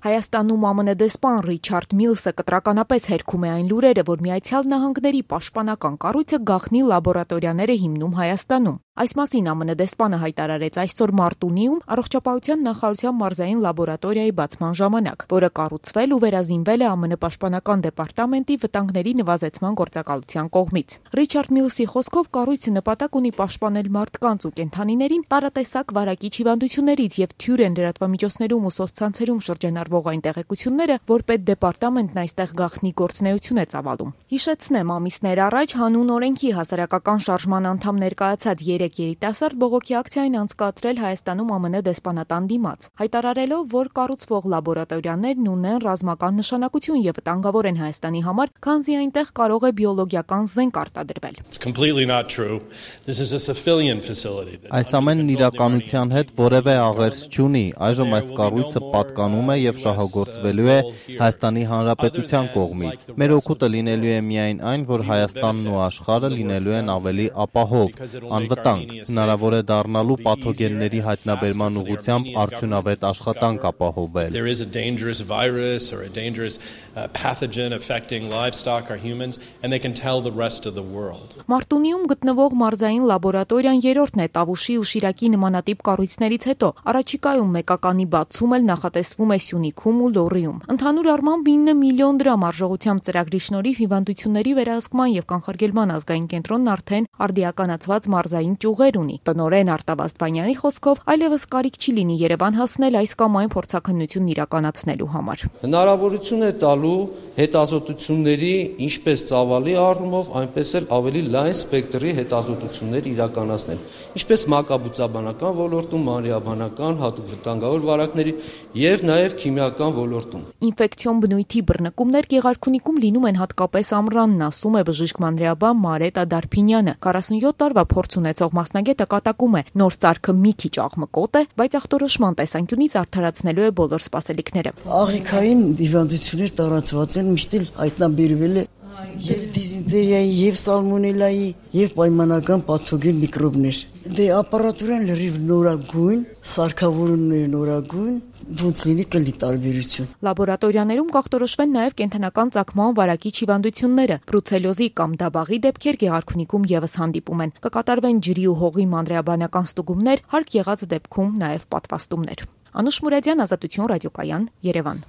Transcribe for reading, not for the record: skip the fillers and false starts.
Հայաստանում ԱՄՆ դեսպան Ռիչարդ Միլսը կտրականապես հերքում է այն լուրերը, որ Միացյալ Նահանգների պաշտպանական կառույցը գաղտնի լաբորատորիաներ է հիմնում Հայաստանում։ Այս մասին ԱՄՆ դեսպանը հայտարարեց այսօր Մարտունիում առողջապահության նախարարության մարզային լաբորատորիայի բացման ժամանակ, որը կառուցվել ու վերազինվել է ԱՄՆ պաշտպանական դեպարտամենտի վտանգների նվազեցման գործակալության կողմից։ Ռիչարդ Միլսի խոսքով կառույցը նպատակ ունի պաշտպանել մարդկանց ու կենդանիներին տարատեսակ վարակիչ հիվանդություններից եւ թյուր են լրատվամիջոցներում ու սոցցանցերում շրջանառվող այն տեղեկությունները, որ պետդեպարտամենտն այստեղ գաղտնի գործունեություն է ծավալում։ Հիշեցնեմ, ամիսներ առաջ հանուն օրենքի հասարակական շարժման անդամ ներկայացած 3 երիտասարդ բողոքի ակցիային անցկացրել Հայաստանում ԱՄՆ դեսպանատան դիմաց, հայտարարելով, որ կառուցվող լաբորատորիաներն ունեն ռազմական նշանակություն եւ վտանգավոր են Հայաստանի համար, քանզի այնտեղ կարող է բիոլոգիական զենք արտադրվել։ Այս ամենն իրականության հետ որևէ աղերս չունի։ Այժմ այս կառույցը պատկանում է եւ շահագործվելու է Հայաստանի Հանրապետության կողմից։ Մեր օգուտը լինելու է միայն այն, որ Հայաստանն ու աշխարհը լինելու են ավելի ապահով, անվտանգ, հնարավոր է դառնալու պաթոգենների հայտնաբերման ուղղությամբ արդյունավետ աշխատանք ապահովել։ Մարտունիում գտնվող մարզային լաբորատորիան երրորդն է Տավուշի ու Շիրակի նմանատիպ կառույցներից հետո։ Առաջիկայում մեկականի բացում էլ նախատեսվում է Սյունիքում ու Լոռիում։ Ընդհանուր առմամբ 9 միլիոն դրամ արժողությամբ ծրագրի շնորհիվ հիվանդությունների վերահսկման եւ կանխարգելման ազգային կենտրոնն արդեն արդիականացված մարզային ճյուղեր ունի։ Տնօրեն Արտավազդ Վանյանի խոսքով այլևս կարիք չի լինի Երևան հասնել այս կամ այն փորձաքննությունն իրականացնելու համար։ Հնարավորություն է տալու հետազոտությունների ինչպես ծավալի առումով, այնպես էլ ավելի լայն սպեկտրի հետազոտություններ իրականացնել, ինչպես մակաբուծաբանական ոլորտում, մանրէաբանական, հատուկ վտանգավոր վարակների եւ նաեւ քիմիական ոլորտում։ Ինֆեկցիոն բնույթի բռնկումներ Գեղարքունիքում լինում են հատկապես ամռանն, ասում է բժիշկ մանրէաբան Մարետ Ադարփինյանը։ 47 տարվա փորձ ունեցող մասնագետը կատակում է, նոր սարքը մի քիչ աղմկոտ է, բայց ախտորոշման տեսանկյունից արդարացնելու է բոլոր սպասելիքները։ Աղիքային հիվանդություններ տարածված են, միշտ հայտնաբերվել է եւ դիզենտերիայի, եւ սալմոնելայի, եւ պայմանական պաթոգեն միկրոբներ։ Դե ապարատուրան լրիվ նորագույն, սարքավորումները նորագույն, ոնց լինի կլի տարբերություն։ Լաբորատորիաներում կախտորոշվեն նաեւ կենդանական ծագման վարակիչ հիվանդությունները, բրուցելոզի կամ դաբաղի դեպքեր Գեղարքունիքում եւս հանդիպում են։ Կկատարվեն ջրի ու հողի մանրէաբանական ստուգումներ, հարկ եղած դեպքում նաեւ պատվաստումներ։ Անուշ Մուրադյան, Ազատություն ռադիոկայան, Երևան։